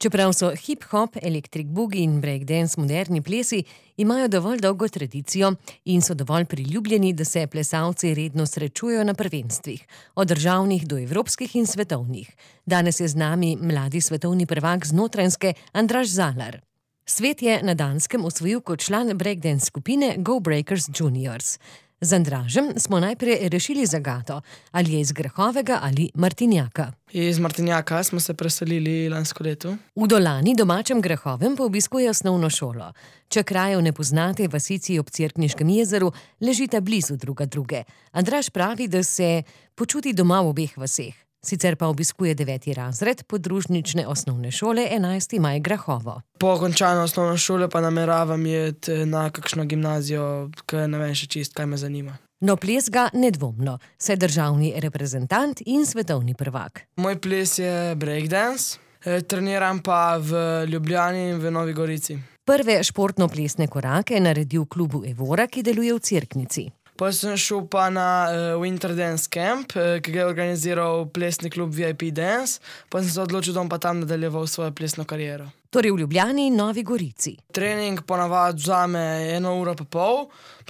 Čeprav so hip-hop, electric boogie in breakdance moderni plesi, imajo dovolj dolgo tradicijo in so dovolj priljubljeni, da se plesalci redno srečujejo na prvenstvih, od državnih do evropskih in svetovnih. Danes je z nami mladi svetovni prvak z Notranjske Andraž Zalar. Svet je na Danskem osvojil kot član breakdance skupine Go Breakers Juniors. Z Andražem smo najprej rešili zagato, ali je iz Grahovega ali Martinjaka. Iz Martinjaka smo se preselili lansko leto. V Dolani, domačem Grahovem, pa obiskuje osnovno šolo. Če krajev ne poznate, vasici ob Cerkniškem jezeru ležita blizu druge. Andraž pravi, da se počuti doma v obeh vaseh. Sicer pa obiskuje 9. razred podružnične osnovne šole 11. maj Grahovo. Po končanju osnovne šole pa nameravam iti na kakšno gimnazijo, ker ne vem še čist, kaj me zanima. No, ples ga nedvomno, saj državni reprezentant in svetovni prvak. Moj ples je breakdance, treniram pa v Ljubljani in v Novi Gorici. Prve športno-plesne korake je naredil v klubu Evora, ki deluje v Cerknici. Pa sem šel pa na Winter Dance Camp, ki ga je organiziral plesni klub VIP Dance, pa sem se odločil, da bom pa tam nadaljeval svojo plesno kariero. Torej v Ljubljani in Novi Gorici. Trening ponavadi vzame 1,5 ure,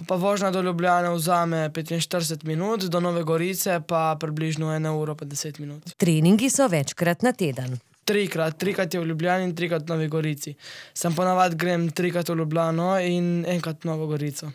pa vožnja do Ljubljane vzame 45 minut, do Nove Gorice pa približno 1 uro pa 10 minut. Treningi so večkrat na teden. Trikrat je v Ljubljani in 3krat v Novi Gorici. Sam ponavadi grem 3krat v Ljubljano in 1krat v Novo Gorico.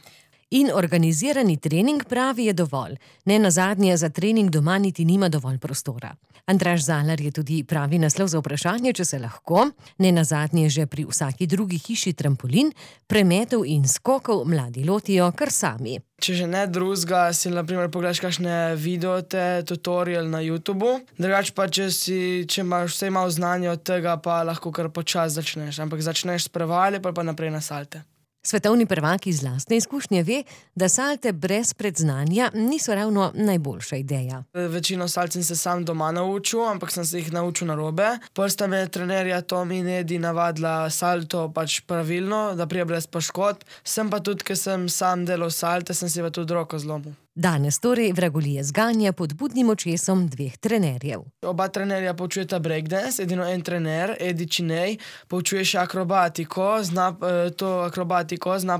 In organizirani trening, pravi, je dovolj. Ne nazadnje za trening doma niti nima dovolj prostora. Andraž Zalar je tudi pravi naslov za vprašanje, če se lahko, ne nazadnje že pri vsaki drugi hiši trampolin, premetov in skokov mladi lotijo kar sami. Če že ne drugega, si na primer pogledaš kakšne videote, tutorial na YouTubu. Drugače pa, če imaš vse malo znanja od tega, pa lahko kar počasi začneš. Ampak začneš s prevali, pa naprej na salte. Svetovni prvak iz lastne izkušnje ve, da salte brez predznanja niso ravno najboljša ideja. Večino salt sem se sam doma naučil, ampak sem se jih naučil narobe. Prsta me trenerja Tom in Edi navadila salto pač pravilno, da prije brez poškodb. Sem pa tudi, ker sem sam delal salte, sem si pa tudi roko zlomil. Danes torej vragolije zganja pod budnim očesom 2 trenerjev. Oba trenerja poučujeta breakdance, edino en trener, Edi Činej, poučuje še akrobatiko, zna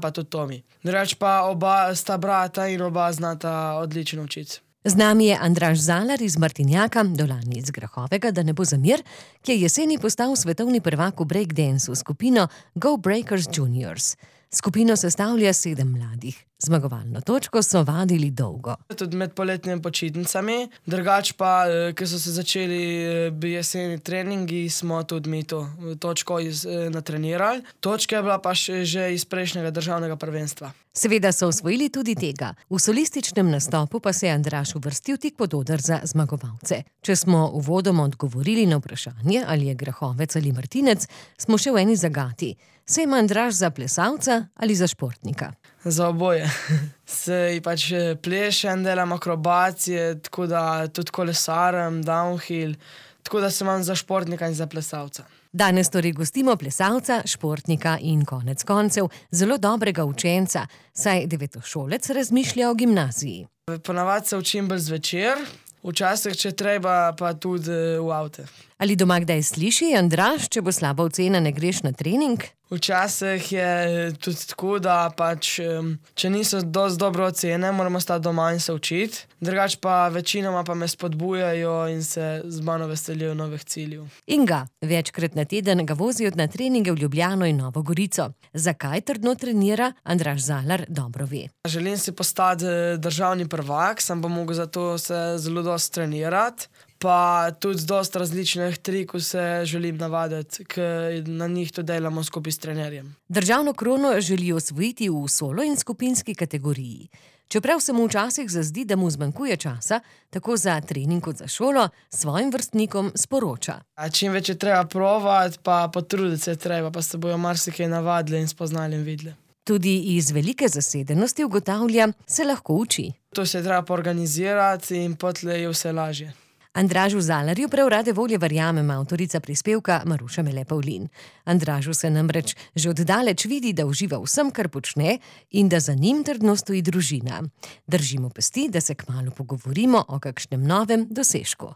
pa tudi Tomi. Drugače pa oba sta brata in oba znata odlično učiti. Z nami je Andraž Zalar iz Martinjaka, Dolani iz Grahovega, da ne bo zamir, ki je jeseni postal svetovni prvak v breakdanceu skupino Go Breakers Juniors. Skupino sestavlja 7 mladih. Zmagovalno točko so vadili dolgo. Tudi med poletnimi počitnicami. Drugače pa, ker so se začeli jeseni treningi, smo tudi mi to točko natrenirali. Točka je bila pa že iz prejšnjega državnega prvenstva. Seveda so osvojili tudi tega. V solističnem nastopu pa se je Andraž uvrstil tik pod oder za zmagovalce. Če smo uvodoma odgovorili na vprašanje, ali je Grahovec ali Martinec, smo še v eni zagati. Se ima Andraž za plesalca ali za športnika? Za oboje. Sej pač plešem, delam akrobacije, tako da tudi kolesarem, downhill, tako da se imam za športnika in za plesalca. Danes torej gostimo plesalca, športnika in konec koncev zelo dobrega učenca, saj devetošolec razmišlja o gimnaziji. Ponavadi se učim bolj zvečer, včasih, če treba, pa tudi v avte. Ali doma kdaj sliši, Andraž, če bo slaba ocena, ne greš na trening? Včasih je tudi tako, da pač, če niso dosti dobre ocene, moramo stati doma in se učiti. Drugače pa večinoma pa me spodbujajo in se z mano veselijo novih ciljev. In ga, večkrat na teden ga vozijo na treninge v Ljubljano in Novo Gorico. Zakaj trdno trenira, Andraž Zalar dobro ve. Želim si postati državni prvak, sem pa mogel zato se zelo dosti trenirati. Pa tudi z dosti različnih trikov se želim navaditi, ker na njih to delamo skupaj s trenerjem. Državno krono želi osvojiti v solo in skupinski kategoriji. Čeprav se mu včasih zazdi, da mu zmanjkuje časa, tako za trening kot za šolo, svojim vrstnikom sporoča. Čim več je treba provati, pa potruditi se treba, pa se bojo marsikaj navadili in spoznali in videli. Tudi iz velike zasedenosti ugotavlja, se lahko uči. To se je treba poorganizirati in potlej je vse lažje. Andražu Zalarju prav rade volje verjamem avtorica prispevka Maruša Mele Pavlin. Andražu se namreč že od daleč vidi, da uživa vsem, kar počne in da za njim trdno stoji družina. Držimo pesti, da se kmalu pogovorimo o kakšnem novem dosežku.